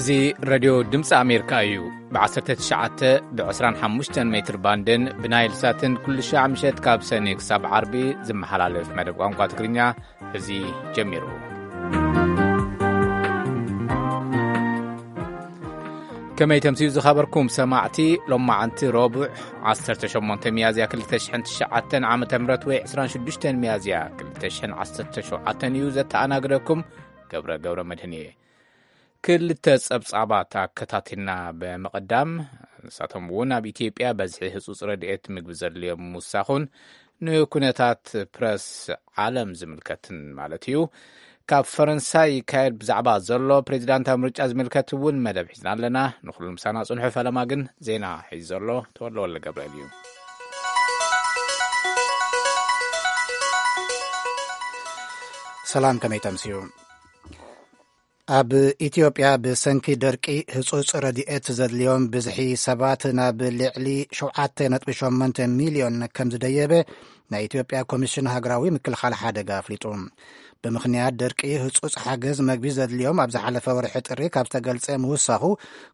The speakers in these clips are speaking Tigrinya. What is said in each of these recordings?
እዚ ሬድዮ ድምፂ ኣሜሪካ እዩ። ብ19 ብ25 ሜትር ባንድን ብናይል ሳትን ኩሉ ሻዕ ምሸት ካብ ሰኒ ክሳብ ዓርቢ ዝመሓላለፍ መደብ ቋንቋ ትግርኛ እዚ ጀሚሩ። ከመይ ተምስዩ ዝኸበርኩም ሰማዕቲ፣ ሎማዓንቲ ረቡዕ 18 ሚያዝያ 2009 ዓ ም ወይ 26 ሚያዝያ 2017 እዩ። ዘተኣናግደኩም ገብረ ገብረ መድህን እየ። ክልተ ጸብጻባት ኣከታቲልና ብምቕዳም፣ ንሳቶም እውን ኣብ ኢትዮጵያ በዝሒ ህጹጽ ረድኤት ምግቢ ዘድልዮም ምውሳኹን ንኩነታት ፕረስ ዓለም ዝምልከትን ማለት እዩ። ካብ ፈረንሳይ ይካየድ ብዛዕባ ዘሎ ፕሬዚዳንታዊ ምርጫ ዝምልከት እውን መደብ ሒዝና ኣለና። ንኹሉ ምሳና ጽንሑ። ፈለማ ግን ዜና ሒዙ ዘሎ ተወልደ ወልደ ገብርኤል እዩ። ሰላም፣ ከመይ ተምስዩ? ኣብ ኢትዮጵያ ብሰንኪ ደርቂ ህጹጽ ረድኤት ዘድልዮም ብዝሒ ሰባት ናብ ልዕሊ 7.8 ሚልዮን ከም ዝደየበ ናይ ኢትዮጵያ ኮሚሽን ሃገራዊ ምክልኻል ሓደጋ ኣፍሊጡ። ብምኽንያት ደርቂ ህጹጽ ሓገዝ መግቢ ዘድልዮም ኣብ ዝሓለፈ ወርሒ ጥሪ ካብ ዝተገልጸ ምውሳኹ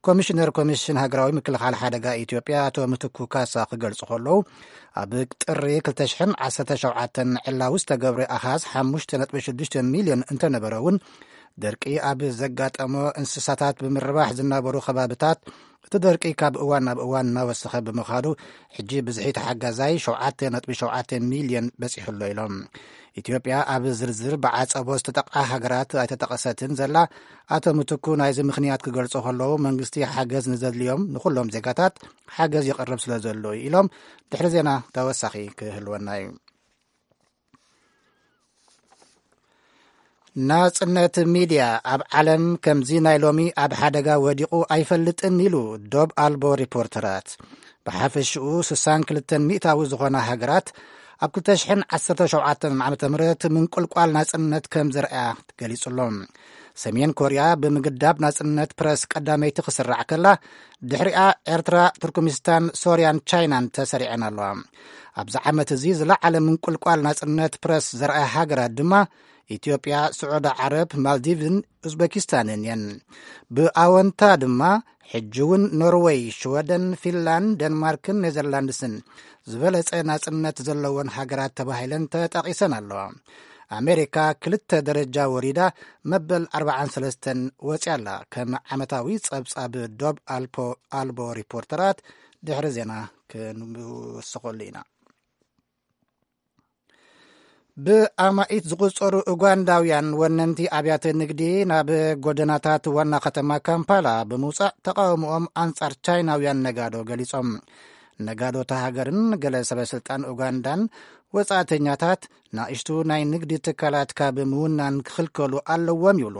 ኮሚሽነር ኮሚሽን ሃገራዊ ምክልኻል ሓደጋ ኢትዮጵያ ኣቶ ምትኩ ካሳ ክገልጹ ከለዉ፣ ኣብ ጥሪ 2017 ዕላዊ ዝተገብረ ኣሃዝ 5.6 ሚልዮን እንተነበረ እውን፣ ደርቂ ኣብ ዘጋጠሞ እንስሳታት ብምርባሕ ዝነበሩ ከባብታት እቲ ደርቂ ካብ እዋን ናብ እዋን እናወሰኸ ብምኻዱ፣ ሕጂ ብዝሒ ተሓጋዛይ 7.7 ሚልዮን በጺሑ ኣሎ ኢሎም። ኢትዮጵያ ኣብ ዝርዝር ብዓጸቦ ዝተጠቕዓ ሃገራት ኣይተጠቐሰትን ዘላ ኣቶ ምትኩ፣ ናይዚ ምኽንያት ክገልጹ ከለዉ፣ መንግስቲ ሓገዝ ንዘድልዮም ንኹሎም ዜጋታት ሓገዝ የቕርብ ስለ ዘሎ እዩ ኢሎም። ድሕሪ ዜና ተወሳኺ ክህልወና እዩ። ናጽነት ሚድያ ኣብ ዓለም ከምዚ ናይ ሎሚ ኣብ ሓደጋ ወዲቑ ኣይፈልጥን ኢሉ ዶብ ኣልቦ ሪፖርተራት። ብሓፈሽኡ 62 ሚእታዊ ዝኾና ሃገራት ኣብ 2017 ዓ ም ምንቁልቋል ናጽነት ከም ዝረኣያ ገሊጹ ኣሎ። ሰሜን ኮርያ ብምግዳብ ናጽነት ፕረስ ቀዳመይቲ ክስራዕ ከላ፣ ድሕሪኣ ኤርትራ፣ ቱርክሚስታን፣ ሶርያን ቻይናን ተሰሪዐን ኣለዋ። ኣብዚ ዓመት እዚ ዝለዓለ ምንቁልቋል ናጽነት ፕረስ ዘርኣያ ሃገራት ድማ ኢትዮጵያ፣ ስዑዲ ዓረብ፣ ማልዲቭን ኡዝበኪስታንን እየን። ብኣወንታ ድማ ሕጂ እውን ኖርወይ፣ ሽወደን፣ ፊንላንድ፣ ደንማርክን ኔዘርላንድስን ዝበለጸ ናጽነት ዘለወን ሃገራት ተባሂለን ተጠቒሰን ኣለዋ። ኣሜሪካ ክልተ ደረጃ ወሪዳ መበል 43 ወጺኣ ኣላ። ከም ዓመታዊ ጸብጻብ ዶብ ኣልፖ-፣ ኣልቦ ሪፖርተራት ድሕሪ ዜና ክንውስኸሉ ኢና። ብኣማኢት ዝቑጸሩ ኡጋንዳውያን ወነንቲ ኣብያተ ንግዲ ናብ ጎደናታት ዋና ከተማ ካምፓላ ብምውጻእ ተቃውሞኦም ኣንጻር ቻይናውያን ነጋዶ ገሊጾም። ነጋዶ እታ ሃገርን ገለ ሰበ ስልጣን ኡጋንዳን ወጻእተኛታት ናእሽቱ ናይ ንግዲ ትካላት ካብ ምውናን ክኽልከሉ ኣለዎም ይብሉ።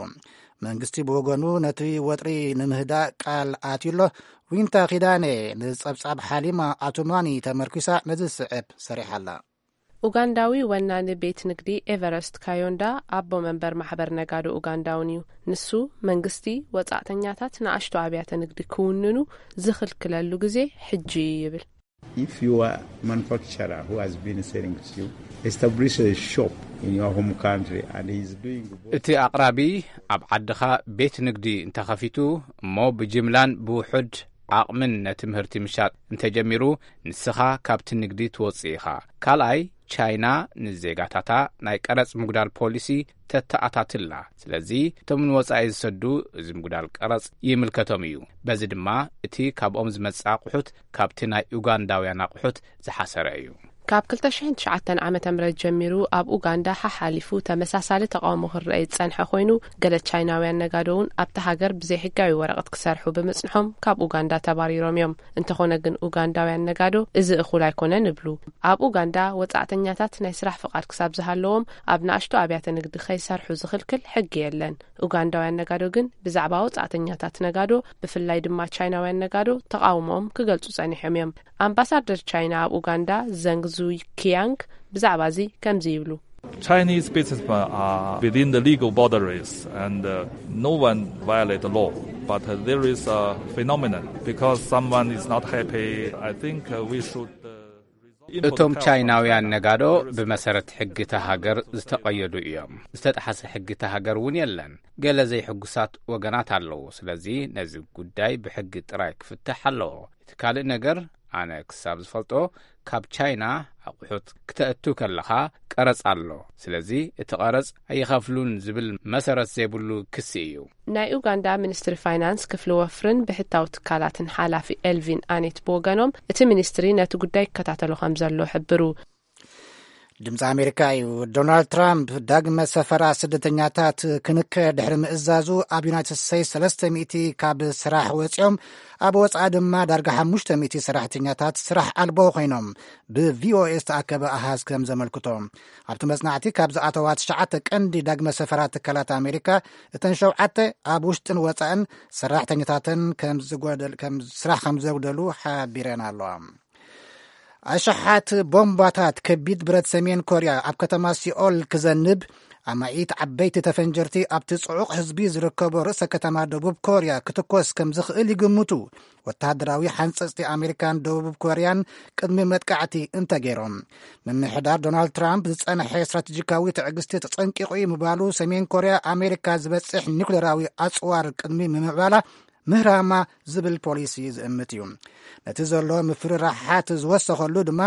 መንግስቲ ብወገኑ ነቲ ወጥሪ ንምህዳእ ቃል ኣትዩ ኣሎ። ዊንታ ኪዳነ ንጸብጻብ ሓሊማ ኣቱማኒ ተመርኪሳ ነዚ ዝስዕብ ሰሪሓ ኣላ። ኡጋንዳዊ ወናኒ ቤት ንግዲ ኤቨረስት ካዮንዳ ኣቦ መንበር ማሕበር ነጋዶ ኡጋንዳ እውን እዩ። ንሱ መንግስቲ ወጻእተኛታት ንኣሽቱ ኣብያተ ንግዲ ክውንኑ ዝኽልክለሉ ግዜ ሕጂ እዩ ይብል። If you are a manufacturer who has been selling to you, establish a shop in your home country and he's doing both. እቲ ኣቕራቢ ኣብ ዓድኻ ቤት ንግዲ እንተኸፊቱ እሞ ብጅምላን ብውሑድ ዓቕምን ነቲ ምህርቲ ምሻጥ እንተጀሚሩ፣ ንስኻ ካብቲ ንግዲ ትወጽእ ኢኻ። ካልኣይ፣ ቻይና ንዜጋታታ ናይ ቀረጽ ምጉዳል ፖሊሲ ተተኣታትላ። ስለዚ እቶም ንወጻኢ ዝሰዱ እዚ ምጉዳል ቀረጽ ይምልከቶም እዩ። በዚ ድማ እቲ ካብኦም ዝመጽእ ኣቑሑት ካብቲ ናይ ኡጋንዳውያን ኣቑሑት ዝሓሰረ እዩ። ካብ 2009 ዓ ም ጀሚሩ ኣብ ኡጋንዳ ሓሓሊፉ ተመሳሳሊ ተቃውሞ ክረአ ዝጸንሐ ኮይኑ፣ ገለ ቻይናውያን ነጋዶ እውን ኣብቲ ሃገር ብዘይሕጋዊ ወረቐት ክሰርሑ ብምጽንሖም ካብ ኡጋንዳ ተባሪሮም እዮም። እንተኾነ ግን ኡጋንዳውያን ነጋዶ እዚ እኹል ኣይኮነን ይብሉ። ኣብ ኡጋንዳ ወጻእተኛታት ናይ ስራሕ ፍቓድ ክሳብ ዝሃለዎም ኣብ ንኣሽቱ ኣብያተ ንግዲ ከይሰርሑ ዝኽልክል ሕጊ የለን። ኡጋንዳውያን ነጋዶ ግን ብዛዕባ ወጻእተኛታት ነጋዶ፣ ብፍላይ ድማ ቻይናውያን ነጋዶ ተቃውሞኦም ክገልጹ ጸኒሖም እዮም። ኣምባሳደር ቻይና ኣብ ኡጋንዳ ዘንግ ዙይ ኪያንግ ብዛዕባ እዚ ከምዚ ይብሉ። Chinese businessmen are within the legal boundaries and uh, no one violate the law. But uh, there is a phenomenon because someone is not happy. I think uh, we should uh, እቶም ቻይናውያን ነጋዶ ብመሰረት ሕጊ እታ ሃገር ዝተቐየዱ እዮም። ዝተጣሓሰ ሕጊ እታ ሃገር እውን የለን። ገለ ዘይሕጉሳት ወገናት ኣለዉ። ስለዚ ነዚ ጉዳይ ብሕጊ ጥራይ ክፍታሕ ኣለዎ። እቲ ካልእ ነገር፣ ኣነ ክሳብ ዝፈልጦ፣ ካብ ቻይና ኣቑሑት ክተእቱ ከለኻ ቀረጽ ኣሎ። ስለዚ እቲ ቀረጽ ኣይኸፍሉን ዝብል መሰረት ዘይብሉ ክሲ እዩ። ናይ ኡጋንዳ ሚኒስትሪ ፋይናንስ ክፍሊ ወፍርን ብሕታዊ ትካላትን ሓላፊ ኤልቪን ኣኔት ብወገኖም፣ እቲ ሚኒስትሪ ነቲ ጉዳይ ይከታተሎ ከም ዘሎ ሕብሩ። ድምፂ ኣሜሪካ እዩ። ዶናልድ ትራምፕ ዳግመ ሰፈራ ስደተኛታት ክንከ ድሕሪ ምእዛዙ፣ ኣብ ዩናይትድ ስቴትስ ሰለስተ ሚእቲ ካብ ስራሕ ወፂኦም፣ ኣብ ወፃኢ ድማ ዳርጋ ሓሙሽተ ሚእቲ ሰራሕተኛታት ስራሕ ኣልቦ ኮይኖም፣ ብቪኦኤ ዝተኣከበ ኣሃዝ ከም ዘመልክቶ። ኣብቲ መጽናዕቲ ካብ ዝኣተዋ ትሽዓተ ቀንዲ ዳግመ ሰፈራ ትካላት ኣሜሪካ፣ እተን ሸውዓተ ኣብ ውሽጥን ወጻእን ሰራሕተኛታተን ከም ዝጎደል-፣ ከም ስራሕ ከም ዘጉደሉ ሓቢረን ኣለዋ። ኣሽሓት ቦምባታት ከቢድ ብረት ሰሜን ኮርያ ኣብ ከተማ ሲኦል ክዘንብ፣ ኣማኢት ዓበይቲ ተፈንጀርቲ ኣብቲ ጽዑቕ ህዝቢ ዝርከቦ ርእሰ ከተማ ደቡብ ኮርያ ክትኮስ ከም ዝኽእል ይግምቱ ወተሃደራዊ ሓንጸጽቲ ኣሜሪካን ደቡብ ኮርያን ቅድሚ መጥቃዕቲ እንተገይሮም። ምምሕዳር ዶናልድ ትራምፕ ዝጸንሐ ስትራቴጂካዊ ትዕግስቲ ተጸንቂቑ እዩ ምባሉ፣ ሰሜን ኮርያ ኣሜሪካ ዝበጽሕ ኒኩሌራዊ ኣጽዋር ቅድሚ ምምዕባላ ምህራማ ዝብል ፖሊሲ ዝእምት እዩ። ነቲ ዘሎ ምፍርራሓት ዝወሰኸሉ ድማ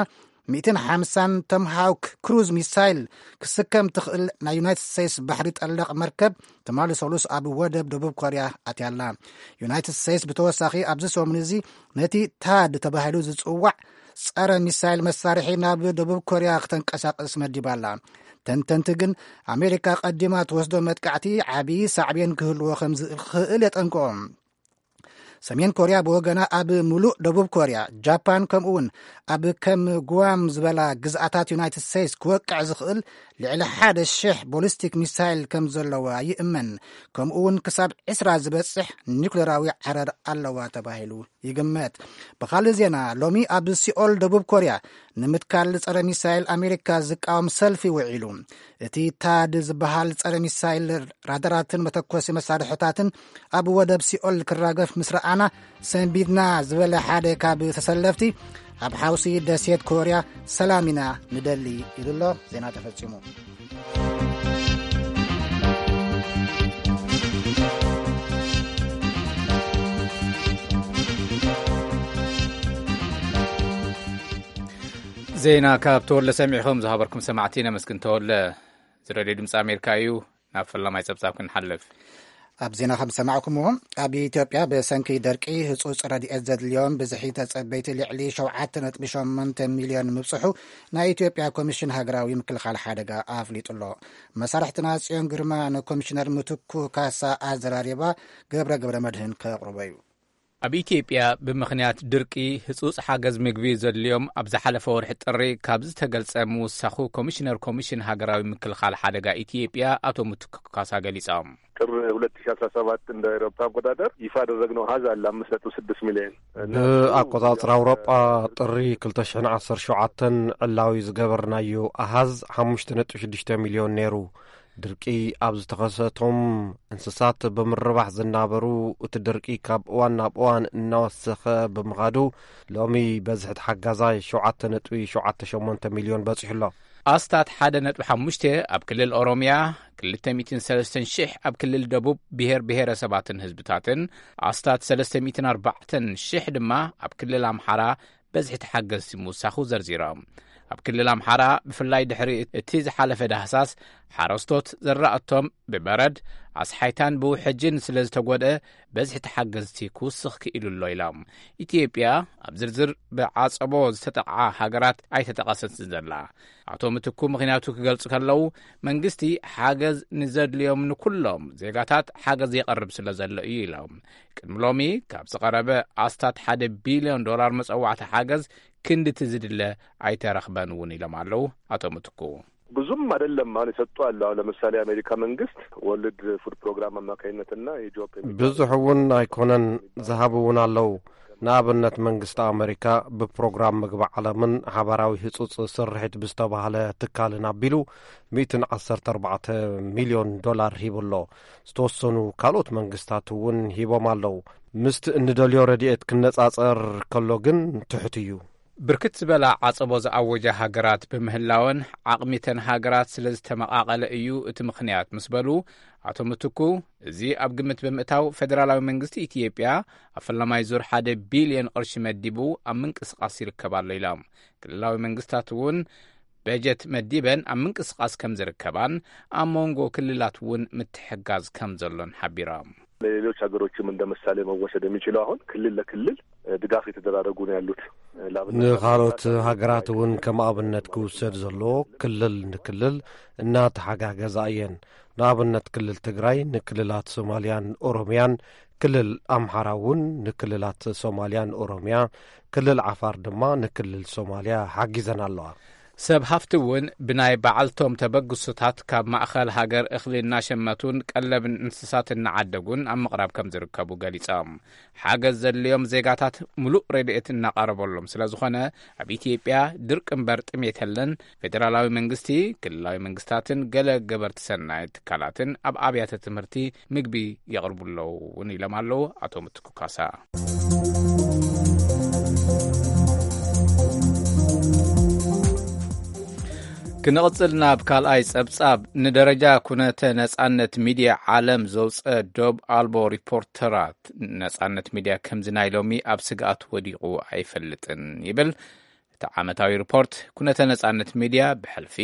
ሚእትን ሓምሳን ቶምሃውክ ክሩዝ ሚሳይል ክስከም ትኽእል ናይ ዩናይትድ ስቴትስ ባሕሪ ጠለቕ መርከብ ትማሊ ሰሉስ ኣብ ወደብ ደቡብ ኮርያ ኣትያላ። ዩናይትድ ስቴትስ ብተወሳኺ ኣብዚ ሰሙን እዚ ነቲ ታድ ተባሂሉ ዝጽዋዕ ጸረ ሚሳይል መሳርሒ ናብ ደቡብ ኮርያ ክተንቀሳቕስ መዲባላ። ተንተንቲ ግን ኣሜሪካ ቀዲማ ትወስዶ መጥቃዕቲ ዓቢ ሳዕቤን ክህልዎ ከም ዝኽእል የጠንቅቖም። ሰሜን ኮርያ ብወገና ኣብ ምሉእ ደቡብ ኮርያ፣ ጃፓን ከምኡ እውን ኣብ ከም ጉዋም ዝበላ ግዝኣታት ዩናይትድ ስቴትስ ክወቅዕ ዝኽእል ልዕሊ ሓደ ሽሕ ቦሊስቲክ ሚሳይል ከም ዘለዋ ይእመን። ከምኡ እውን ክሳብ ዕስራ ዝበጽሕ ኒኩሌራዊ ዓረር ኣለዋ ተባሂሉ ይግመት። ብኻልእ ዜና፣ ሎሚ ኣብ ሲኦል ደቡብ ኮርያ ንምትካል ጸረ ሚሳይል ኣሜሪካ ዝቃወም ሰልፊ ውዒሉ። እቲ ታድ ዝበሃል ጸረ ሚሳይል ራዳራትን መተኮሲ መሳርሕታትን ኣብ ወደብ ሲኦል ክራገፍ ምስ ረኣና፣ ሰንቢድና ዝበለ ሓደ ካብ ተሰለፍቲ፣ ኣብ ሓውሲ ደሴት ኮርያ ሰላም ኢና ንደሊ ኢሉ ኣሎ። ዜና ተፈጺሙ። ዜና ካብ ተወለ ሰሚዕኹም ዝሃበርኩም ሰማዕቲ ነመስግን ተወለ። እዚ ሬድዮ ድምፂ ኣሜሪካ እዩ። ናብ ፈላማይ ጸብጻብ ክንሓልፍ። ኣብ ዜና ከም ዝሰማዕኩምዎ፣ ኣብ ኢትዮጵያ ብሰንኪ ደርቂ ህጹጽ ረድኤት ዘድልዮም ብዝሒ ተጸበይቲ ልዕሊ ሸውዓተ ነጥቢ ሸሞንተ ሚልዮን ምብጽሑ ናይ ኢትዮጵያ ኮሚሽን ሃገራዊ ምክልኻል ሓደጋ ኣፍሊጡ ኣሎ። መሳርሕትና ጽዮን ግርማ ንኮሚሽነር ምትኩ ካሳ ኣዘራሪባ ገብረ ገብረ መድህን ከቕርቦ እዩ። ኣብ ኢትዮጵያ ብምኽንያት ድርቂ ህጹጽ ሓገዝ ምግቢ ዘድልዮም ኣብ ዝሓለፈ ወርሒ ጥሪ ካብ ዝተገልጸ ምውሳኹ ኮሚሽነር ኮሚሽን ሃገራዊ ምክልኻል ሓደጋ ኢትዮጵያ ኣቶ ምትኩ ካሳ ገሊጾም። ጥር ሁለት ሺ አስራ ሰባት እንደ አውሮፓ አቆጣጠር ይፋ ያደረግነው አሃዝ አለ፣ አምስት ነጥብ ስድስት ሚሊዮን። እና ብኣቆጻጽራ ኣውሮጳ ጥሪ ክልተ ሽሕን ዓሰርተ ሸውዓተን ዕላዊ ዝገበርናዮ ኣሃዝ ሓሙሽተ ነጥቢ ሽዱሽተ ሚልዮን ነይሩ። ድርቂ ኣብ ዝተኸሰቶም እንስሳት ብምርባሕ ዝናበሩ፣ እቲ ድርቂ ካብ እዋን ናብ እዋን እናወሰኸ ብምኻዱ፣ ሎሚ በዝሒ ተሓጋዛይ ሸውዓተ ነጥቢ ሸውዓተ ሸሞንተ ሚልዮን በጺሑ ኣሎ። ኣስታት ሓደ ነጥቢ ሓሙሽተ ኣብ ክልል ኦሮምያ፣ ክልተ ሚእትን ሰለስተን ሽሕ ኣብ ክልል ደቡብ ብሄር ብሄረሰባትን ህዝብታትን፣ ኣስታት ሰለስተ ሚእትን ኣርባዕተን ሽሕ ድማ ኣብ ክልል ኣምሓራ በዝሒ ተሓገዝቲ ምውሳኹ ዘርዚሮም። ኣብ ክልል ኣምሓራ ብፍላይ ድሕሪ እቲ ዝሓለፈ ዳህሳስ ሓረስቶት ዘራእቶም ብበረድ ኣስሓይታን ብውሕጅን ስለ ዝተጎድአ በዝሒ ተሓገዝቲ ክውስኽ ክኢሉ ኣሎ ኢሎም። ኢትዮጵያ ኣብ ዝርዝር ብዓጸቦ ዝተጠቕዓ ሃገራት ኣይተጠቐሰትን ዘላ። ኣቶ ምትኩ ምኽንያቱ ክገልጹ ከለዉ፣ መንግስቲ ሓገዝ ንዘድልዮም ንኩሎም ዜጋታት ሓገዝ የቐርብ ስለ ዘሎ እዩ ኢሎም። ቅድሚ ሎሚ ካብ ዝቐረበ ኣስታት ሓደ ቢልዮን ዶላር መጸዋዕታ ሓገዝ ክንድቲ ዝድለ ኣይተረኽበን እውን ኢሎም ኣለዉ ኣቶ ምትኩ። ብዙም አይደለም አሁን የሰጡ አሉ። አሁን ለምሳሌ የአሜሪካ መንግስት ወርልድ ፉድ ፕሮግራም አማካኝነትና የጆብ የሚባል ብዙሕ እውን ኣይኮነን ዝሃቡ እውን ኣለዉ። ንኣብነት መንግስቲ ኣመሪካ ብፕሮግራም ምግቢ ዓለምን ሓባራዊ ህጹጽ ስርሒት ብዝተባህለ ትካልን ኣቢሉ ሚእትን ዓሰርተ ኣርባዕተ ሚልዮን ዶላር ሂቡ ኣሎ። ዝተወሰኑ ካልኦት መንግስታት እውን ሂቦም ኣለዉ። ምስቲ እንደልዮ ረድኤት ክነጻጸር ከሎ ግን ትሑት እዩ። ብርክት ዝበላ ዓጸቦ ዝኣወጃ ሃገራት ብምህላወን፣ ዓቕሚተን ሃገራት ስለ ዝተመቓቐለ እዩ እቲ ምኽንያት ምስ በሉ፣ ኣቶ ምትኩ፣ እዚ ኣብ ግምት ብምእታው፣ ፌደራላዊ መንግስቲ ኢትዮጵያ ኣብ ፈላማይ ዙር ሓደ ቢልዮን ቅርሺ መዲቡ ኣብ ምንቅስቓስ ይርከብ ኣሎ ኢሎም። ክልላዊ መንግስታት እውን በጀት መዲበን ኣብ ምንቅስቓስ ከም ዝርከባን፣ ኣብ መንጎ ክልላት እውን ምትሕጋዝ ከም ዘሎን ሓቢሮም። ለሌሎች ሀገሮችም እንደ ምሳሌ መወሰድ የሚችለው፣ አሁን ክልል ለክልል ድጋፍ የተደራረጉ ነው ያሉት። ንኻልኦት ሃገራት እውን ከም ኣብነት ክውሰድ ዘለዎ፣ ክልል ንክልል እናተሓጋገዛ እየን። ንኣብነት፣ ክልል ትግራይ ንክልላት ሶማልያን ኦሮምያን፣ ክልል ኣምሓራ እውን ንክልላት ሶማልያን ኦሮምያ፣ ክልል ዓፋር ድማ ንክልል ሶማልያ ሓጊዘን ኣለዋ። ሰብ ሃፍቲ እውን ብናይ በዓልቶም ተበግሶታት ካብ ማእኸል ሃገር እኽሊ እናሸመቱን ቀለብን እንስሳት እናዓደጉን ኣብ ምቕራብ ከም ዝርከቡ ገሊጾም። ሓገዝ ዘድልዮም ዜጋታት ምሉእ ረድኤት እናቐረበሎም ስለ ዝኾነ፣ ኣብ ኢትዮጵያ ድርቂ እምበር ጥሜት የለን። ፌደራላዊ መንግስቲ፣ ክልላዊ መንግስታትን ገለ ገበርቲ ሰናይ ትካላትን ኣብ ኣብያተ ትምህርቲ ምግቢ የቕርቡ ኣለዉ እውን ኢሎም ኣለዉ ኣቶ ምትኩ ካሳ። ክንቕጽል ናብ ካልኣይ ጸብጻብ። ንደረጃ ኩነተ ነጻነት ሚድያ ዓለም ዘውጸ ዶብ ኣልቦ ሪፖርተራት፣ ነጻነት ሚድያ ከምዚ ናይ ሎሚ ኣብ ስግኣት ወዲቑ ኣይፈልጥን ይብል። እቲ ዓመታዊ ሪፖርት ኩነተ ነጻነት ሚድያ ብሕልፊ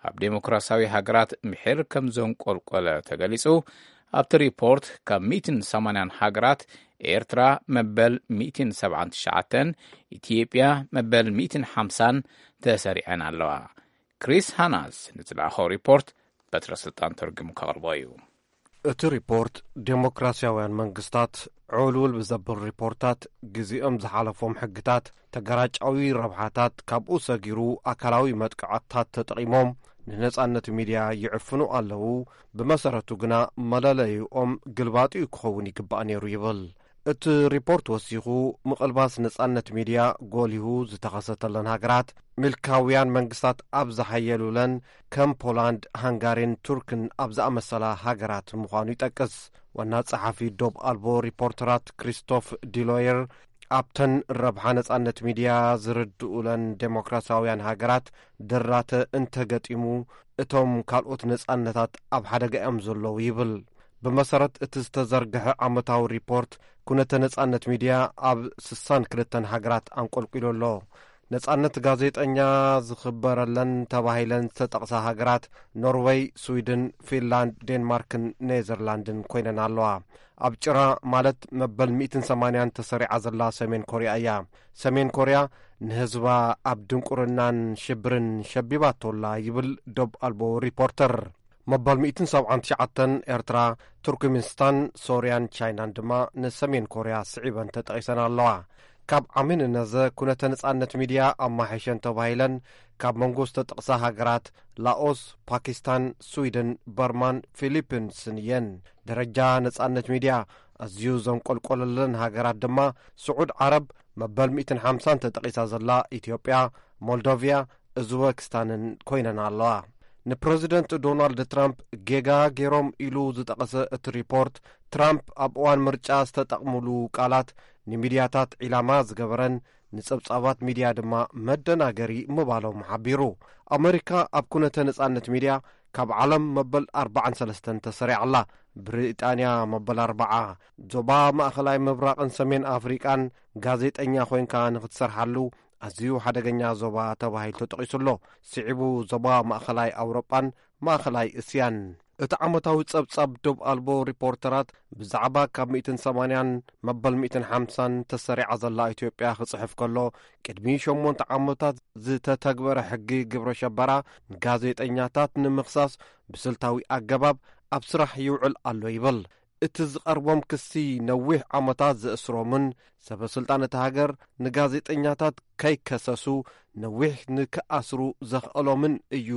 ኣብ ዴሞክራሲያዊ ሃገራት ምሒር ከም ዘንቆልቆለ ተገሊጹ። ኣብቲ ሪፖርት ካብ ሚእትን ሰማንያን ሃገራት፣ ኤርትራ መበል ሚእትን ሰብዓን ትሽዓተን፣ ኢትዮጵያ መበል ሚእትን ሓምሳን ተሰሪዐን ኣለዋ። ክሪስ ሃናስ ንዝለኣኾ ሪፖርት በትረ ስልጣን ተርጉሙ ከቕርቦ እዩ። እቲ ሪፖርት፣ ዴሞክራሲያውያን መንግስታት ዕውልውል ብዘብል ሪፖርታት፣ ግዜኦም ዝሓለፎም ሕግታት፣ ተገራጫዊ ረብሓታት፣ ካብኡ ሰጊሩ ኣካላዊ መጥቃዕትታት ተጠቒሞም ንነጻነት ሚድያ ይዕፍኑ ኣለዉ። ብመሰረቱ ግና መለለይኦም ግልባጢኡ ክኸውን ይግባእ ነይሩ ይብል። እቲ ሪፖርት ወሲኹ፣ ምቕልባስ ነጻነት ሚድያ ጎሊሁ ዝተኸሰተለን ሃገራት፣ ምልካውያን መንግስታት ኣብ ዝሓየሉለን ከም ፖላንድ፣ ሃንጋሪን ቱርክን ኣብ ዝኣመሰላ ሃገራት ምዃኑ ይጠቅስ። ዋና ጸሓፊ ዶብ ኣልቦ ሪፖርተራት ክሪስቶፍ ዲሎየር፣ ኣብተን ረብሓ ነጻነት ሚድያ ዝርድኡለን ዴሞክራሲያውያን ሃገራት ድራተ እንተገጢሙ፣ እቶም ካልኦት ነጻነታት ኣብ ሓደጋ እዮም ዘለዉ ይብል። ብመሰረት እቲ ዝተዘርግሐ ዓመታዊ ሪፖርት፣ ኩነተ ነጻነት ሚድያ ኣብ ስሳን ክልተን ሃገራት ኣንቆልቂሉ ኣሎ። ነጻነት ጋዜጠኛ ዝኽበረለን ተባሂለን ዝተጠቕሳ ሃገራት፣ ኖርወይ፣ ስዊድን፣ ፊንላንድ፣ ዴንማርክን ኔዘርላንድን ኮይነን ኣለዋ። ኣብ ጭራ፣ ማለት መበል ሚእትን ሰማንያን ተሰሪዓ ዘላ ሰሜን ኮርያ እያ። ሰሜን ኮርያ ንህዝባ ኣብ ድንቁርናን ሽብርን ሸቢባቶላ ይብል ዶብ ኣልቦ ሪፖርተር። መበል ሚእትን ሰብዓን ትሽዓተን ኤርትራ፣ ቱርክሜኒስታን፣ ሶርያን ቻይናን ድማ ንሰሜን ኮርያ ስዒበን ተጠቒሰን ኣለዋ። ካብ ዓሚ ንነዘ ኩነተ ነጻነት ሚድያ ኣማሒሸን ተባሂለን ካብ መንጎ ዝተጠቕሳ ሃገራት፣ ላኦስ፣ ፓኪስታን፣ ስዊድን፣ በርማን ፊሊፒንስን እየን። ደረጃ ነጻነት ሚድያ ኣዝዩ ዘንቆልቆለለን ሃገራት ድማ፣ ስዑድ ዓረብ መበል ሚእትን ሓምሳን ተጠቒሳ ዘላ ኢትዮጵያ፣ ሞልዶቪያ፣ እዝበክስታንን ኮይነን ኣለዋ። ንፕረዚደንት ዶናልድ ትራምፕ ጌጋ ገይሮም ኢሉ ዝጠቐሰ እቲ ሪፖርት፣ ትራምፕ ኣብ እዋን ምርጫ ዝተጠቕሙሉ ቃላት፣ ንሚድያታት ዒላማ ዝገበረን ንጸብጻባት ሚድያ ድማ መደናገሪ ምባሎም ሓቢሩ። ኣመሪካ ኣብ ኩነተ ነጻነት ሚድያ ካብ ዓለም መበል ኣርባዓን ሰለስተን ተሰሪዓ ኣላ። ብሪጣንያ መበል ኣርባዓ። ዞባ ማእኸላይ ምብራቕን ሰሜን ኣፍሪቃን ጋዜጠኛ ኮይንካ ንኽትሰርሓሉ ኣዝዩ ሓደገኛ ዞባ ተባሂሉ ተጠቒሱ ኣሎ። ስዒቡ ዞባ ማእኸላይ ኣውሮጳን ማእኸላይ እስያን። እቲ ዓመታዊ ጸብጻብ ዶብ ኣልቦ ሪፖርተራት ብዛዕባ ካብ ሚእትን ሰማንያን መበል ሚእትን ሓምሳን ተሰሪዓ ዘላ ኢትዮጵያ ክጽሕፍ ከሎ፣ ቅድሚ ሸሞንተ ዓመታት ዝተተግበረ ሕጊ ግብረ ሸበራ ንጋዜጠኛታት ንምኽሳስ ብስልታዊ ኣገባብ ኣብ ስራሕ ይውዕል ኣሎ ይብል። እቲ ዝቐርቦም ክሲ ነዊሕ ዓመታት ዘእስሮምን ሰበ ስልጣን እታ ሃገር ንጋዜጠኛታት ከይከሰሱ ነዊሕ ንክኣስሩ ዘኽእሎምን እዩ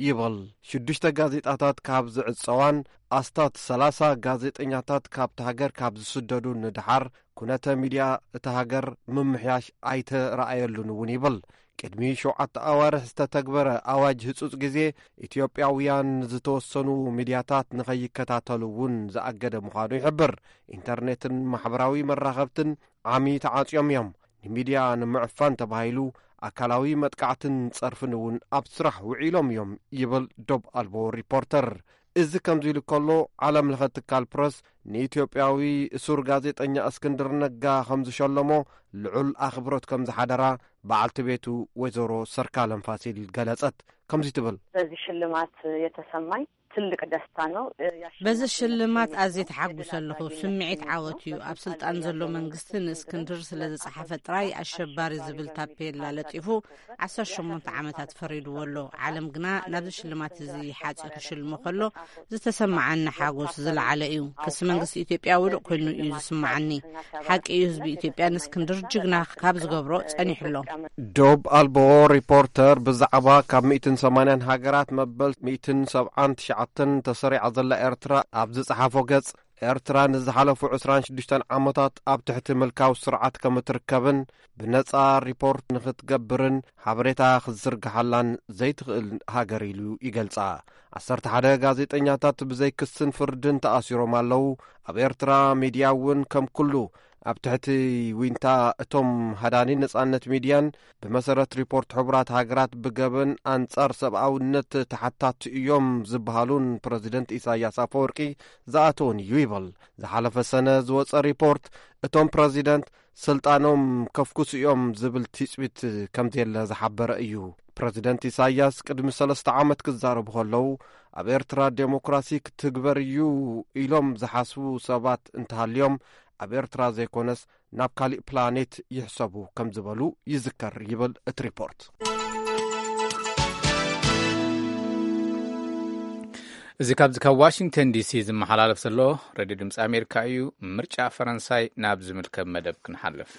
ይብል። ሽዱሽተ ጋዜጣታት ካብ ዝዕጸዋን ኣስታት ሰላሳ ጋዜጠኛታት ካብቲ ሃገር ካብ ዝስደዱ ንደሓር፣ ኩነተ ሚድያ እታ ሃገር ምምሕያሽ ኣይተረኣየሉን እውን ይብል። ቅድሚ ሸውዓተ ኣዋርሕ ዝተተግበረ ኣዋጅ ህጹጽ ግዜ፣ ኢትዮጵያውያን ዝተወሰኑ ሚድያታት ንኸይከታተሉ እውን ዝኣገደ ምዃኑ ይሕብር። ኢንተርኔትን ማሕበራዊ መራኸብትን ዓሚ ተዓጽዮም እዮም። ንሚድያ ንምዕፋን ተባሂሉ ኣካላዊ መጥቃዕትን ጸርፍን እውን ኣብ ስራሕ ውዒሎም እዮም ይብል ዶብ ኣልቦ ሪፖርተር። እዚ ከምዚ ኢሉ ከሎ፣ ዓለም ለኸ ትካል ፕረስ ንኢትዮጵያዊ እሱር ጋዜጠኛ እስክንድር ነጋ ከም ዝሸለሞ፣ ልዑል ኣኽብሮት ከም ዝሓደራ በዓልቲ ቤቱ ወይዘሮ ሰርካለም ፋሲል ገለጸት። ከምዚ ትብል። በዚህ ሽልማት የተሰማኝ ትልቅ ደስታ ነው። በዚ ሽልማት ኣዝየ ተሓጉሰ ኣለኹ። ስምዒት ዓወት እዩ። ኣብ ስልጣን ዘሎ መንግስቲ ንእስክንድር ስለ ዝጸሓፈ ጥራይ ኣሸባሪ ዝብል ታፔላ ለጢፉ ዓሰርተ ሸሞንተ ዓመታት ፈሪድዎ ኣሎ። ዓለም ግና ናብዚ ሽልማት እዚ ሓጺ ክሽልሞ ከሎ ዝተሰማዓኒ ሓጎስ ዝለዓለ እዩ። ክሲ መንግስቲ ኢትዮጵያ ውዱቕ ኮይኑ እዩ ዝስማዓኒ። ሓቂ እዩ፣ ህዝቢ ኢትዮጵያ ንእስክንድር ጅግና ካብ ዝገብሮ ጸኒሑ ኣሎ። ዶብ ኣልቦ ሪፖርተር ብዛዕባ ካብ ሚእትን ሰማንያን ሃገራት መበል ሚእትን ሰብዓን ትሽዓተን ተሰሪዓ ዘላ ኤርትራ ኣብ ዝጸሓፎ ገጽ፣ ኤርትራ ንዝሓለፉ ዕስራን ሽዱሽተን ዓመታት ኣብ ትሕቲ ምልካዊ ስርዓት ከም እትርከብን ብነጻ ሪፖርት ንኽትገብርን ሓበሬታ ክትዝርግሓላን ዘይትኽእል ሃገር ኢሉ ይገልጻ። ዓሰርተ ሓደ ጋዜጠኛታት ብዘይ ክስን ፍርድን ተኣሲሮም ኣለዉ። ኣብ ኤርትራ ሚድያ እውን ከም ኩሉ ኣብ ትሕቲ ዊንታ እቶም ሃዳኒ ነጻነት ሚድያን ብመሰረት ሪፖርት ሕቡራት ሃገራት ብገበን ኣንጻር ሰብኣውነት ተሓታቲ እዮም ዝበሃሉን ፕረዚደንት ኢሳያስ ኣፈወርቂ ዝኣተውን እዩ ይብል። ዝሓለፈ ሰነ ዝወጸ ሪፖርት እቶም ፕረዚደንት ስልጣኖም ከፍኩሱ እዮም ዝብል ትጽቢት ከም ዘየለ ዝሓበረ እዩ። ፕረዚደንት ኢሳያስ ቅድሚ ሰለስተ ዓመት ክዛረቡ ከለዉ ኣብ ኤርትራ ዴሞክራሲ ክትግበር እዩ ኢሎም ዝሓስቡ ሰባት እንተሃልዮም ኣብ ኤርትራ ዘይኮነስ ናብ ካሊእ ፕላኔት ይሕሰቡ ከም ዝበሉ ይዝከር ይብል እቲ ሪፖርት። እዚ ካብዚ ካብ ዋሽንግተን ዲሲ ዝመሓላለፍ ዘሎ ሬድዮ ድምፂ ኣሜሪካ እዩ። ምርጫ ፈረንሳይ ናብ ዝምልከብ መደብ ክንሓልፍ።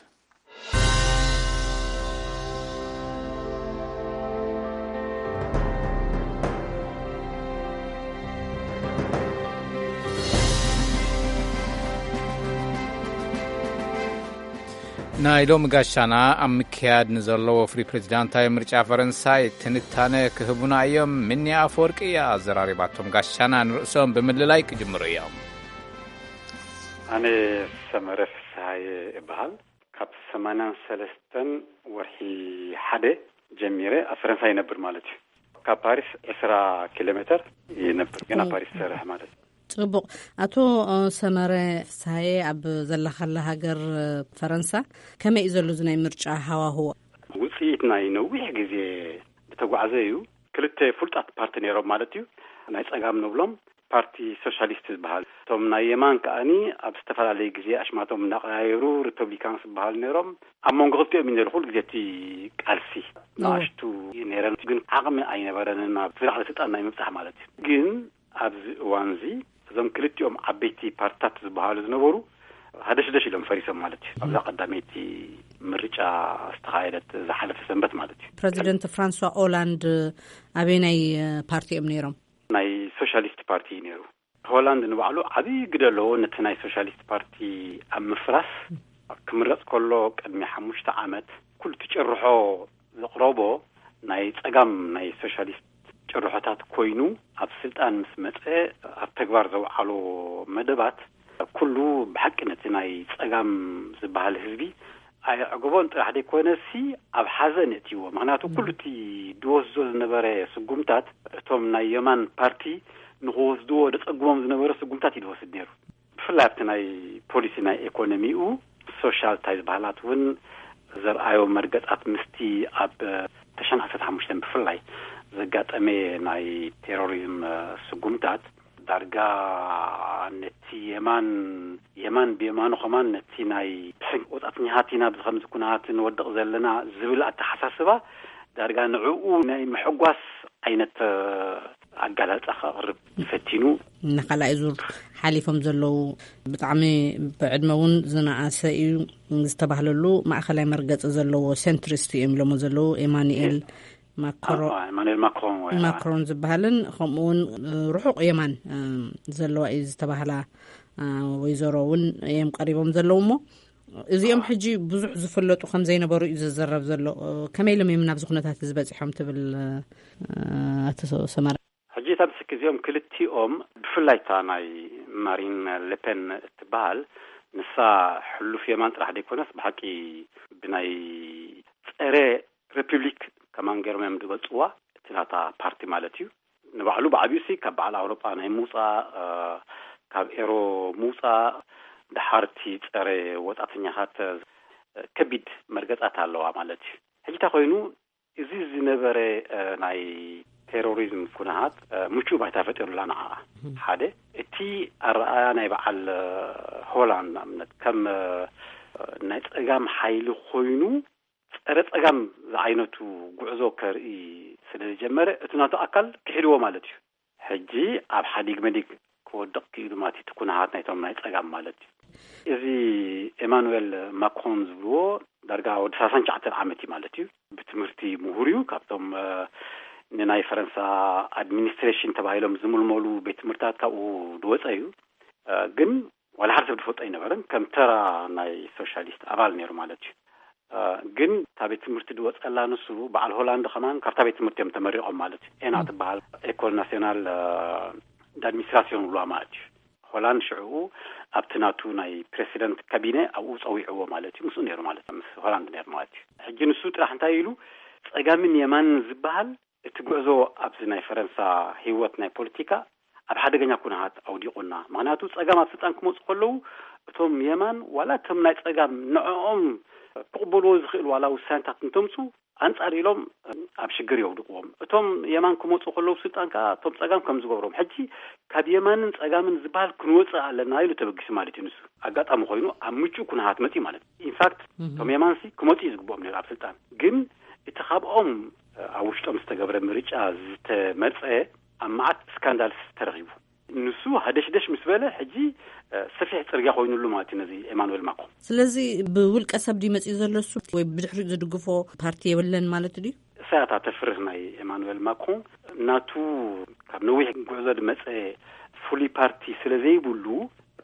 ናይ ሎሚ ጋሻና ኣብ ምክያድ ንዘሎ ወፍሪ ፕሬዚዳንታዊ ምርጫ ፈረንሳይ ትንታነ ክህቡና እዮም። ምኒ ኣፈወርቂ እያ ኣዘራሪባቶም። ጋሻና ንርእሶም ብምልላይ ክጅምሩ እዮም። ኣነ ሰመረ ፍስሃየ እበሃል። ካብ ሰማንያን ሰለስተን ወርሒ ሓደ ጀሚረ ኣብ ፈረንሳ ይነብር ማለት እዩ። ካብ ፓሪስ ዕስራ ኪሎ ሜተር ይነብር፣ ግን ኣብ ኦ። ፓሪስ ይሰርሕ ማለት እዩ። ጽቡቕ። ኣቶ፣ እ፣ ሰመረ ፍስሃየ፣ ኣብ ዘለኻላ ሃገር፣ እ፣ ፈረንሳ ከመይ እዩ ዘሎ እዚ ናይ ምርጫ ሃዋህዎ? ውጽኢት ናይ ነዊሕ ግዜ ዝተጓዕዘ እዩ። ክልተ ፍሉጣት ፓርቲ ነይሮም ማለት እዩ። ናይ ጸጋም ንብሎም ፓርቲ ሶሻሊስት ዝበሃል፣ እቶም ናይ የማን ከኣኒ ኣብ ዝተፈላለየ ግዜ ኣሽማቶም እናቐያየሩ ሪፐብሊካንስ ዝበሃሉ ነይሮም። ኣብ መንጎ ክልቲኦም እዩ ነይሩ ኩሉ ግዜ እቲ ቃልሲ። እዎ። ንኣሽቱ ነይረን፣ ግን ዓቕሚ ኣይነበረንን ናብ ዝለዓለ ስልጣን ናይ ምብጻሕ ማለት እዩ። ግን ኣብዚ እዋን እዚ እዞም ክልቲኦም ዓበይቲ ፓርትታት ዝበሃሉ ዝነበሩ ሃደሽደሽ ኢሎም ፈሪሶም ማለት እዩ። ኣብዛ ቀዳመይቲ ምርጫ ዝተኻየደት ዝሓለፈ ሰንበት ማለት እዩ። ፕረዚደንት ፍራንሷ ኦላንድ ኣበየናይ ፓርቲ እዮም ነይሮም? ናይ ሶሻሊስት ፓርቲ እዩ ነይሩ። ሆላንድ ንባዕሉ ዓብዪ ግደ ኣለዎ ነቲ ናይ ሶሻሊስት ፓርቲ ኣብ ምፍራስ። ክምረጽ ከሎ ቅድሚ ሓሙሽተ ዓመት ኩሉ እቲ ጭርሖ ዘቕረቦ ናይ ጸጋም ናይ ሶሻሊስት ጭርሖታት ኮይኑ፣ ኣብ ስልጣን ምስ መጸ ኣብ ተግባር ዘውዓሎ መደባት ኩሉ ብሓቂ ነቲ ናይ ጸጋም ዝበሃል ህዝቢ ኣየዕገቦን ጥራሕ ዘይኮነሲ ኣብ ሓዘን የእትይዎ። ምኽንያቱ ኩሉ እቲ ድወስዶ ዝነበረ ስጉምታት እቶም ናይ የማን ፓርቲ ንኽወስድዎ ደጸግሞም ዝነበረ ስጉምታት እዩ ድወስድ ነይሩ። ብፍላይ ኣብቲ ናይ ፖሊሲ ናይ ኤኮኖሚኡ ሶሻል ታይ ዝበሃላት እውን ዘርኣዮ መርገጻት ምስቲ ኣብ ተሽዓን ዓሰርተ ሓሙሽተን ብፍላይ ዘጋጠመ ናይ ቴሮሪዝም ስጉምታት ዳርጋ ነቲ የማን የማን ብየማኑ ከማን ነቲ ናይ ወጻእተኛታት ኢና ብዚ ከምዚ ኩነታት ንወድቕ ዘለና ዝብል ኣተሓሳስባ ዳርጋ ንዕኡ ናይ ምሕጓስ ዓይነት ኣጋላልጻ ከቕርብ ፈቲኑ። ንኻልኣይ ዙር ሓሊፎም ዘለዉ ብጣዕሚ ብዕድመ እውን ዝነኣሰ እዩ ዝተባህለሉ ማእኸላይ መርገፂ ዘለዎ ሴንትሪስት እዮም ኢሎሞ ዘለዉ ኤማኑኤል ማክሮ-፣ ኣዎ፣ ኤማኑኤል ማክሮን ወይ ማክሮን ዝበሃልን ከምኡ እውን ርሑቕ የማን ዘለዋ እዩ ዝተባህላ ወይዘሮ እውን እዮም ቀሪቦም ዘለዉ እሞ እዚኦም ሕጂ ብዙሕ ዝፍለጡ ከም ዘይነበሩ እዩ ዝዘረብ ዘሎ። ከመይ ኢሎም እዮም ናብዚ ኩነታት እዚ በፂሖም ትብል ኣቶ ሰመረ? ሕጂ እታ ምስክ እዚኦም ክልቲኦም ብፍላይ እታ ናይ ማሪን ሌፔን እትበሃል ንሳ ሕሉፍ የማን ጥራሕ ዘይኮነስ ብሓቂ ብናይ ጸረ ሪፑብሊክ ከማን ገይሮም እዮም ዝገልጽዋ፣ እቲ ናታ ፓርቲ ማለት እዩ። ንባዕሉ ብዓብዩሲ ካብ በዓል ኣውሮጳ ናይ ምውጻእ፣ እ፣ ካብ ኤሮ ምውጻእ፣ ደሓርቲ ጸረ ወጻእተኛታት፣ እ፣ ከቢድ መርገጻት ኣለዋ ማለት እዩ። ሕጂ እንታይ ኮይኑ፣ እዚ ዝነበረ፣ እ፣ ናይ ቴሮሪዝም ኩነታት፣ እ፣ ምቹእ ባይታ ፈጢሩላ ንዓኣ። ሓደ፣ እቲ ኣረኣያ ናይ በዓል፣ እ፣ ሆላንድ ንኣብነት ከም፣ እ፣ ናይ ጸጋም ሓይሊ ኮይኑ ጸረ ጸጋም ዝዓይነቱ ጉዕዞ ከርኢ ስለ ዝጀመረ፣ እቲ ናቱ ኣካል ክሒድዎ ማለት እዩ። ሕጂ ኣብ ሓዲግ መዲግ ክወድቕ ክኢሉ ማለት እዩ፣ እቲ ኩነታት ናይቶም ናይ ጸጋም ማለት እዩ። እዚ ኤማኑኤል ማክሮን ዝብልዎ ዳርጋ ወዲ ሰላሳን ትሽዓተን ዓመት እዩ ማለት እዩ። ብትምህርቲ ምሁር እዩ። ካብቶም፣ እ፣ ንናይ ፈረንሳ ኣድሚኒስትሬሽን ተባሂሎም ዝምልመሉ ቤት ትምህርትታት ካብኡ ዝወጸ እዩ። እ፣ ግን ዋላ ሓደ ሰብ ዝፈልጦ ኣይነበረን። ከም ተራ ናይ ሶሻሊስት ኣባል ነይሩ ማለት እዩ። እ፣ ግን እታ ቤት ትምህርቲ ዝወጸላ ንሱ፣ በዓል ሆላንድ ከማን ካብታ ቤት ትምህርቲ እዮም ተመሪቖም ማለት እዩ። ኤና ትበሃል፣ ኤኮል ናሲዮናል፣ እ፣ ዳድሚኒስትራሲዮን ብልዋ ማለት እዩ። ሆላንድ ሽዕኡ ኣብቲ ናቱ ናይ ፕሬሲደንት ካቢነ ኣብኡ ጸዊዕዎ ማለት እዩ። ምስኡ ነይሩ ማለት እዩ። ምስ ሆላንድ ነይሩ ማለት እዩ። ሕጂ ንሱ ጥራሕ እንታይ ኢሉ፣ ጸጋምን የማንን ዝበሃል እቲ ጉዕዞ ኣብዚ ናይ ፈረንሳ ህይወት ናይ ፖለቲካ ኣብ ሓደገኛ ኩነታት ኣውዲቑና። ምኽንያቱ ጸጋም ኣብ ስልጣን ክመጹ ከለዉ እቶም የማን ዋላ እቶም ናይ ጸጋም ንዕኦም ክቕበልዎ ዝኽእል ዋላ ውሳኔታት እንተምጹ ኣንጻር ኢሎም ኣብ ሽግር የውድቕዎም። እቶም የማን ክመጹ ከለዉ ስልጣን ከኣ እቶም ጸጋም ከም ዝገብሮም። ሕጂ ካብ የማንን ጸጋምን ዝበሃል ክንወጽእ ኣለና ኢሉ ተበጊሱ ማለት እዩ ንሱ። ኣጋጣሚ ኮይኑ ኣብ ምቹእ ኩነታት መጺኡ ማለት እዩ። ኢንፋክት እቶም የማንሲ ክመጹ እዩ ዝግብኦም ነይሩ ኣብ ስልጣን። ግን እቲ ካብኦም ኣብ ውሽጦም ዝተገብረ ምርጫ ዝተመርጸ ኣብ መዓት ስካንዳልስ ተረኺቡ። ንሱ ሃደሽደሽ ምስ በለ ሕጂ፣ እ፣ ሰፊሕ ጽርግያ ኮይኑሉ ማለት እዩ ነዚ ኤማኑኤል ማክሮን። ስለዚ ብውልቀ ሰብ ድዩ መጺኡ ዘሎ እሱ ወይ ብድሕሪኡ ዝድግፎ ፓርቲ የብለን ማለት ድዩ? እሳያታ ተፍርህ ናይ ኤማኑኤል ማክሮን ናቱ ካብ ነዊሕ ጉዕዞ ዝመጸ ፍሉይ ፓርቲ ስለ ዘይብሉ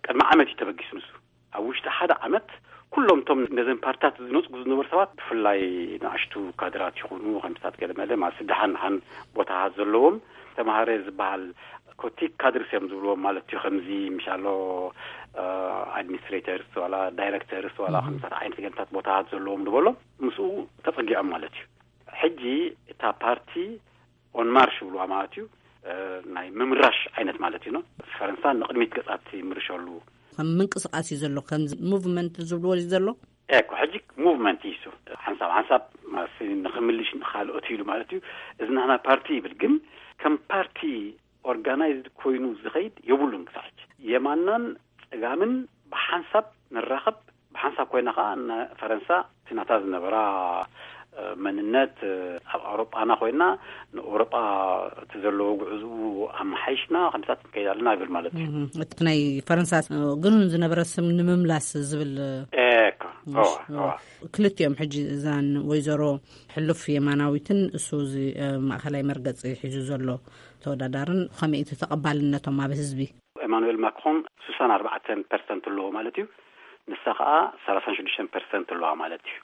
ቅድሚ ዓመት እዩ ተበጊሱ ንሱ። ኣብ ውሽጢ ሓደ ዓመት ኩሎም እቶም ነዘን ፓርትታት ዝነጽጉ ዝነበሩ ሰባት ብፍላይ ንኣሽቱ ካድራት ይኹኑ ከምታት ገለመለ ማለት ደሓን ደሓን ቦታታት ዘለዎም ተማሃረ ዝበሃል ኮቲክ ካድርስ እዮም ዝብልዎም ማለት እዩ። ከምዚ ምሻሎ፣ እ፣ ኣድሚኒስትሬተርስ ዋላ ዳይሬክተርስ ዋላ ከምታት ዓይነት ገንታት ቦታታት ዘለዎም ዝበሎ ምስኡ ተጸጊዖም ማለት እዩ። ሕጂ እታ ፓርቲ ኦን ማርሽ ይብልዋ ማለት እዩ። እ፣ ናይ ምምራሽ ዓይነት ማለት እዩ። ፈረንሳ ንቕድሚት ገጻት ይምርሸሉ። ከም ምንቅስቃስ እዩ ዘሎ፣ ከም ሙቭመንት ዝብልዎ እዩ ዘሎ። ኤኮ ሕጂ ሙቭመንት እዩ እሱ። ሓንሳብ ሓንሳብ ማለት ንኽምልሽ ንኻልኦት ኢሉ ማለት እዩ። እዚ ናህና ፓርቲ ይብል፣ ግን ከም ፓርቲ ኦርጋናይዝድ ኮይኑ ዝኸይድ የብሉን ክሳዕ ሕጂ። የማናን ጸጋምን ብሓንሳብ ንራኸብ፣ ብሓንሳብ ኮይና ኸዓ ንፈረንሳ እቲ ናታ ዝነበራ፣ እ፣ መንነት፣ እ፣ ኣብ ኣውሮጳና ኮይና ንኣውሮጳ እቲ ዘለዎ ጉዕዝኡ ኣመሓይሽና ከምታት ንከይድ ኣለና ይብል ማለት እዩ። እህ፣ እቲ ናይ ፈረንሳ፣ እ፣ ግኑን ዝነበረ ስም ንምምላስ ዝብል፣ እ፣ ኤካ፣ እዋ፣ እዋ። ክልቲኦም ሕጂ እዛን ወይዘሮ ሕሉፍ የማናዊትን እሱ እዚ፣ እ፣ ማእኸላይ መርገጺ ሒዙ ዘሎ ተወዳዳርን ከመይ እቲ ተቐባልነቶም ኣብ ህዝቢ? ኤማኑኤል ማክሮን ስሳን ኣርባዕተን ፐርሰንት ኣለዎ ማለት እዩ። ንሳ ኸዓ ሰላሳን ሽዱሽተን ፐርሰንት ኣለዋ ማለት እዩ።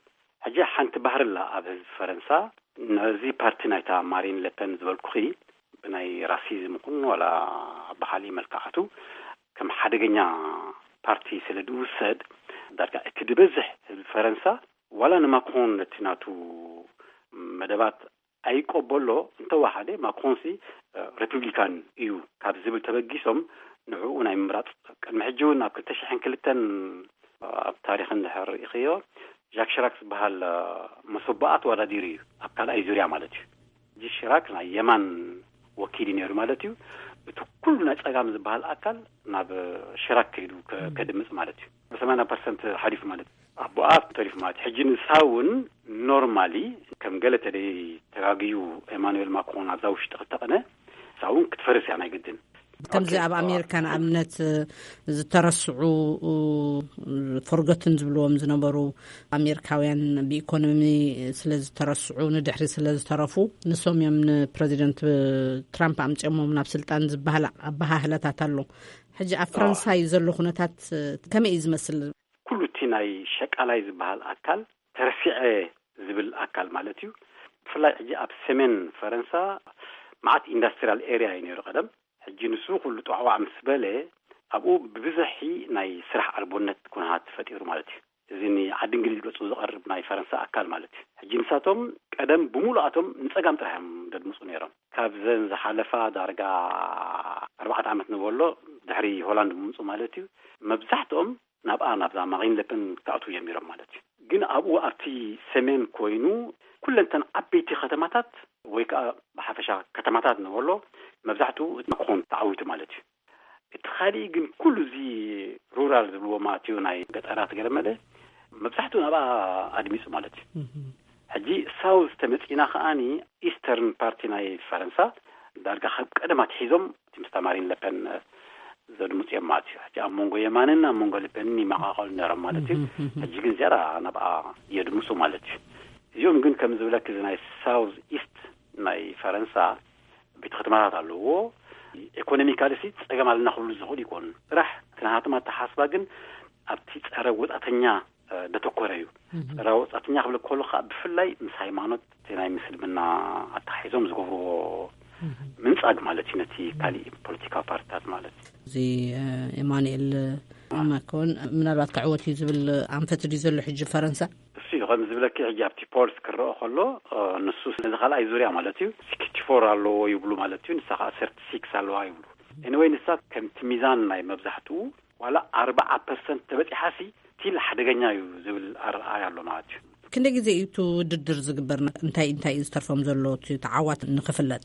ሕጂ ሓንቲ ባህሪ ኣላ ኣብ ህዝቢ ፈረንሳ። ነዚ ፓርቲ ናይታ ማሪን ለፐን ዝበልኩኺ ብናይ ራሲዝም ይኹን ዋላ ብኻሊእ መልክዓቱ ከም ሓደገኛ ፓርቲ ስለ ዝውሰድ፣ ዳርጋ እቲ ዝበዝሕ ህዝቢ ፈረንሳ ዋላ ንማክሮን ነቲ ናቱ መደባት ኣይቀበሎ፣ እንተወሓደ ማክሮንሲ፣ እ፣ ሪፑብሊካን እዩ ካብ ዝብል ተበጊሶም ንዕኡ ናይ ምምራጽ። ቅድሚ ሕጂ እውን ኣብ ክልተ ሽሕን ክልተን ኣብ ታሪኽ እንድሕር ርኢኽዮ፣ ጃክ ሽራክ ዝበሃል፣ እ፣ መሰቦኣ ተወዳዲሩ እዩ፣ ኣብ ካልኣይ ዙርያ ማለት እዩ። ሕጂ ሽራክ ናይ የማን ወኪል እዩ ነይሩ ማለት እዩ። እቲ ኩሉ ናይ ጸጋም ዝበሃል ኣካል ናብ ሽራክ ከይዱ ከ-፣ ከድምጽ ማለት እዩ። ብሰማንያ ፐርሰንት ሓሊፉ ማለት እዩ። ኣቦኣ ተሪፉ ማለት እዩ። ሕጂ ንሳ እውን ኖርማሊ ከም ገለ ተደይ ተጋግዩ ኤማኑኤል ማክሮን ኣብዛ ውሽጢ ክልተ ቅነ፣ ንሳ እውን ክትፈርስ እያ ናይ ግድን። ከምዚ ኦኬ። ኣብ ኣሜሪካ ንኣብነት ዝተረስዑ፣ ፎርጎትን ዝብልዎም ዝነበሩ ኣሜሪካውያን ብኢኮኖሚ ስለ ዝተረስዑ ንድሕሪ ስለ ዝተረፉ ንሶም እዮም ንፕረዚደንት ትራምፕ ኣምፅኦሞም ናብ ስልጣን ዝበሃል ኣበሃህለታት ኣሎ። ሕጂ ኣብ ፈረንሳይ ዘሎ ኩነታት ከመይ እዩ ዝመስል? ኩሉ እቲ ናይ ሸቃላይ ዝበሃል ኣካል ተረሲዐ ዝብል ኣካል ማለት እዩ። ብፍላይ ሕጂ ኣብ ሰሜን ፈረንሳ መዓት ኢንዳስትሪያል ኤሪያ እዩ ነይሩ ቀደም። ሕጂ ንሱ ኩሉ ጧዕዋዕ ምስ በለ ኣብኡ ብብዝሒ ናይ ስራሕ ኣልቦነት ኩነታት ተፈጢሩ ማለት እዩ። እዚ ንዓዲ እንግሊዝ ገጹ ዝቐርብ ናይ ፈረንሳ ኣካል ማለት እዩ። ሕጂ ንሳቶም ቀደም ብምሉኣቶም ንጸጋም ጥራሕ እዮም ዘድምጹ ነይሮም። ካብዘን ዝሓለፋ ዳርጋ ኣርባዕተ ዓመት ንበሎ፣ ድሕሪ ሆላንድ ምምጹ ማለት እዩ፣ መብዛሕትኦም ናብኣ፣ ናብዛ ማሪን ለፐን ክኣትዉ ጀሚሮም ማለት እዩ። ግን ኣብኡ ኣብቲ ሰሜን ኮይኑ ኩለንተን ዓበይቲ ከተማታት ወይ ከዓ ብሓፈሻ ከተማታት ንበሎ መብዛሕትኡ እቲ ማክሮን ተዓዊቱ ማለት እዩ። እቲ ካሊእ ግን ኩሉ እዚ ሩራል ዝብልዎ ማለት እዩ ናይ ገጠራት ገለመለ መብዛሕትኡ ናብኣ ኣድሚፁ ማለት እዩ። ሕጂ ሳውዝ ተመፂና ከዓኒ ኢስተርን ፓርቲ ናይ ፈረንሳ ዳርጋ ካብ ቀደም ኣትሒዞም እቲ ምስታ ማሪን ለፐን ዘድምፁ እዮም ማለት እዩ። ሕጂ ኣብ መንጎ የማንን ኣብ መንጎ ለፐንን ይመቃቀሉ ነይሮም ማለት እዩ። ሕጂ ግን ዝያዳ ናብኣ የድምፁ ማለት እዩ። እዚኦም ግን ከም ዝብለክ እዚ ናይ ሳውዝ ኢስት ናይ ፈረንሳ ቤት ከተማታት ኣለዎ። ኢኮኖሚካሊ ሲ ፀገም ኣለና ክብሉ ዝኽእሉ ይኮኑ። ጥራሕ እቲ ናሃቶም ኣተሓስባ ግን ኣብቲ ፀረ ወፃተኛ ደተኮረ እዩ። ጸረ ወጻእተኛ ክብል ከሎ ከዓ ብፍላይ ምስ ሃይማኖት እቲ ናይ ምስልምና ኣተሓሒዞም ዝገብርዎ ምንጻግ ማለት እዩ ነቲ ካሊእ ፖለቲካዊ ፓርቲታት ማለት እዩ። እዚ ኤማኑኤል ማክሮን ምናልባት ክዕወት እዩ ዝብል ኣንፈት ድዩ ዘሎ ሕጂ ፈረንሳ? እሱ እዩ ከም ዝብለኪ ሕጂ ኣብቲ ፖልስ ክረኦ ከሎ ንሱ ነዚ ካልኣይ ዙርያ ማለት እዩ ሲክስቲ ፎር ኣለዎ ይብሉ ማለት እዩ። ንሳ ከዓ ሰርቲ ሲክስ ኣለዋ ይብሉ። ኤኒወይ ንሳ ከምቲ ሚዛን ናይ መብዛሕትኡ ዋላ ኣርባዓ ፐርሰንት ተበፂሓሲ ስቲል ሓደገኛ እዩ ዝብል ኣረኣእያ ኣሎ ማለት እዩ። ክንደይ ግዜ እዩ እቲ ውድድር ዝግበር? እንታይ እንታይ እዩ ዝተርፎም ዘሎ እቲ ተዓዋት ንክፍለጥ?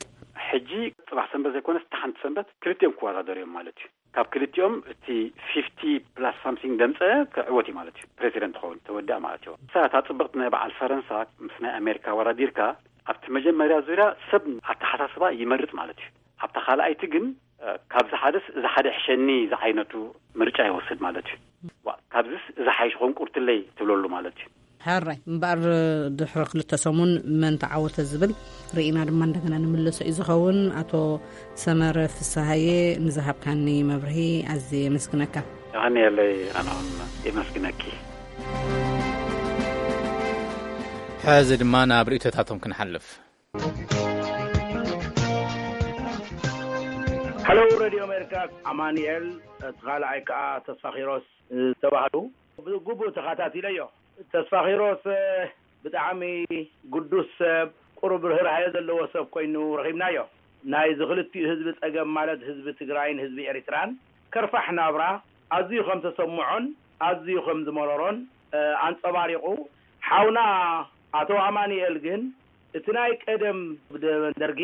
ሕጂ ፅባሕ ሰንበት ዘይኮነስ እታ ሓንቲ ሰንበት ክልቲኦም ክወዳደሩ እዮም ማለት እዩ። ካብ ክልቲኦም እቲ ፊፍቲ ፕላስ ሳምሲንግ ደምፀ ክዕወት እዩ ማለት እዩ። ፕሬዚደንት ክኸውን ተወዲኣ ማለት እዩ። ንሳ እታ ፅብቕቲ ናይ በዓል ፈረንሳ ምስ ናይ ኣሜሪካ ወዳዲርካ ኣብቲ መጀመርያ ዙርያ ሰብ ኣተሓሳስባ ይመርፅ ማለት እዩ። ኣብታ ካልኣይቲ ግን ካብዚ ሓደስ እዚ ሓደ ሕሸኒ ዝዓይነቱ ምርጫ ይወስድ ማለት እዩ። ካብዚስ እዚ ሓይሽ ኮንቁርትለይ ትብለሉ ማለት እዩ። ሕራይ እምበኣር ድሕሪ ክልተ ሰሙን መን ተዓወተ ዝብል ርኢና ድማ እንደገና ንምለሶ እዩ ዝኸውን። ኣቶ ሰመረ ፍስሃየ ንዝሃብካኒ መብርሂ ኣዝየ የመስግነካ። የቐንየለይ። ኣነ እውን የመስግነኪ። ሕዚ ድማ ናብ ርእይቶታቶም ክንሓልፍ። ሃሎ ሬድዮ ኣሜሪካ፣ ኣማኑኤል እቲ ካልኣይ ከዓ ተስፋ ኪሮስ ዝተባህሉ ብግቡእ ተኸታቲለዮ። ተስፋ ኪሮስ ብጣዕሚ ግዱስ ሰብ፣ ቁሩብ ርህራሄ ዘለዎ ሰብ ኮይኑ ረኺብናዮ። ናይዚ ክልቲኡ ህዝቢ ጸገም ማለት ህዝቢ ትግራይን ህዝቢ ኤሪትራን ከርፋሕ ናብራ ኣዝዩ ከም ተሰምዖን ኣዝዩ ከም ዝመረሮን ኣንጸባሪቑ። ሓውና ኣቶ ኣማኑኤል ግን እቲ ናይ ቀደም ደርጊ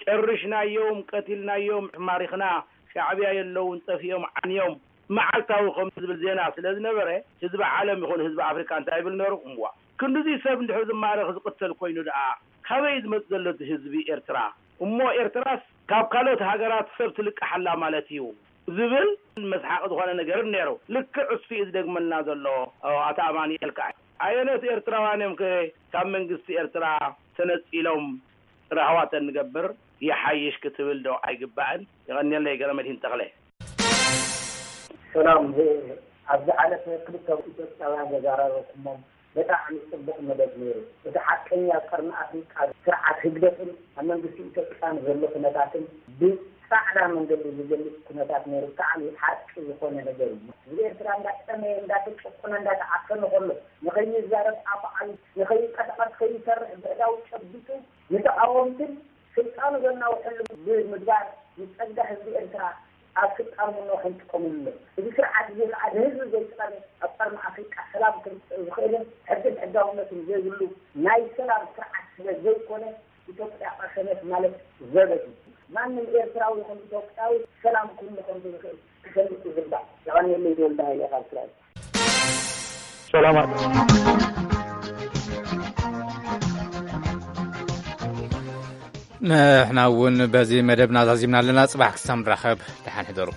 ጨርሽናዮም፣ ቀቲልናዮም፣ ማሪኽና፣ ሻዕብያ የለውን፣ ጠፊኦም፣ ዓንዮም፣ መዓልታዊ ከም ዝብል ዜና ስለ ዝነበረ ህዝቢ ዓለም ይኹን ህዝቢ ኣፍሪካ እንታይ ይብል ነሩ? እምዋ ክንድዚ ሰብ እንድሕር ዝማረኽ ዝቕተል ኮይኑ ደኣ ካበይ ዝመጽእ ዘሎ እቲ ህዝቢ ኤርትራ? እሞ ኤርትራስ ካብ ካልኦት ሃገራት ሰብ ትልቅሓላ ማለት እዩ ዝብል መስሓቂ ዝኾነ ነገር ነይሩ። ልክዕ እሱ እዩ ዝደግመልና ዘሎ ኣቶ ኣማኑኤል ከዓ። ኣየኖት ኤርትራውያን እዮም ከ ካብ መንግስቲ ኤርትራ ተነጺሎም ራህዋተን ንገብር ይሓይሽ ክትብል ዶ ኣይግባእን? የቐንየለይ ገረመድሂን ተኽለ። ሰላም፣ ኣብዚ ሓለፈ ክልተ ኢትዮጵያውያን ዘዛረበኩሞም ብጣዕሚ ጽቡቕ መደብ ነይሩ። እቲ ሓቀኛ ቀርኒ ኣፍሪቃ ስርዓት ህግደፍን ኣብ መንግስቲ ኢትዮጵያን ዘሎ ኩነታትን ብጻዕዳ መንገዲ ዝገልጽ ኩነታት ነይሩ። ብጣዕሚ ሓቂ ዝኾነ ነገር እዩ። ህዝቢ ኤርትራ እንዳጠመየ፣ እንዳተጨቆነ፣ እንዳተዓፈነ ከሎ ንኸይዛረብ ኣፍዓዩ፣ ንኸይንቀሳቐስ፣ ከይሰርሕ ብዕዳው ጨቢጡ ንተቓወምትን ስልጣኑ ዘናውሐሉ ብምግባር ንጸጋ ህዝቢ ኤርትራ ኣብ ስልጣን ምንዋሕ ይጥቀምሉ ኣለዉ። እዚ ስርዓት እዚ ከዓ ንህዝቢ ዘይጠቐመ ኣብ ቀርኒ ኣፍሪቃ ሰላም ክምፅእ ዝኽእልን ሕግን ሕጋውነትን ዘይብሉ ናይ ሰላም ስርዓት ስለ ዘይኮነ ኢትዮጵያ ቀሰነት ማለት ዘበት እዩ። ማንም ኤርትራዊ ይኹን ኢትዮጵያዊ ሰላም ክህሉ ከም ዝኽእል ክፈልጥ ይግባእ። የቐንየለይ። ተወልደ ሃይለ ካብ እስራኤል። ሰላም። ንሕና እውን በዚ መደብና ዛዚምና ኣለና። ጽባሕ ክሳብ ንራኸብ ደሓን ሕደሩ።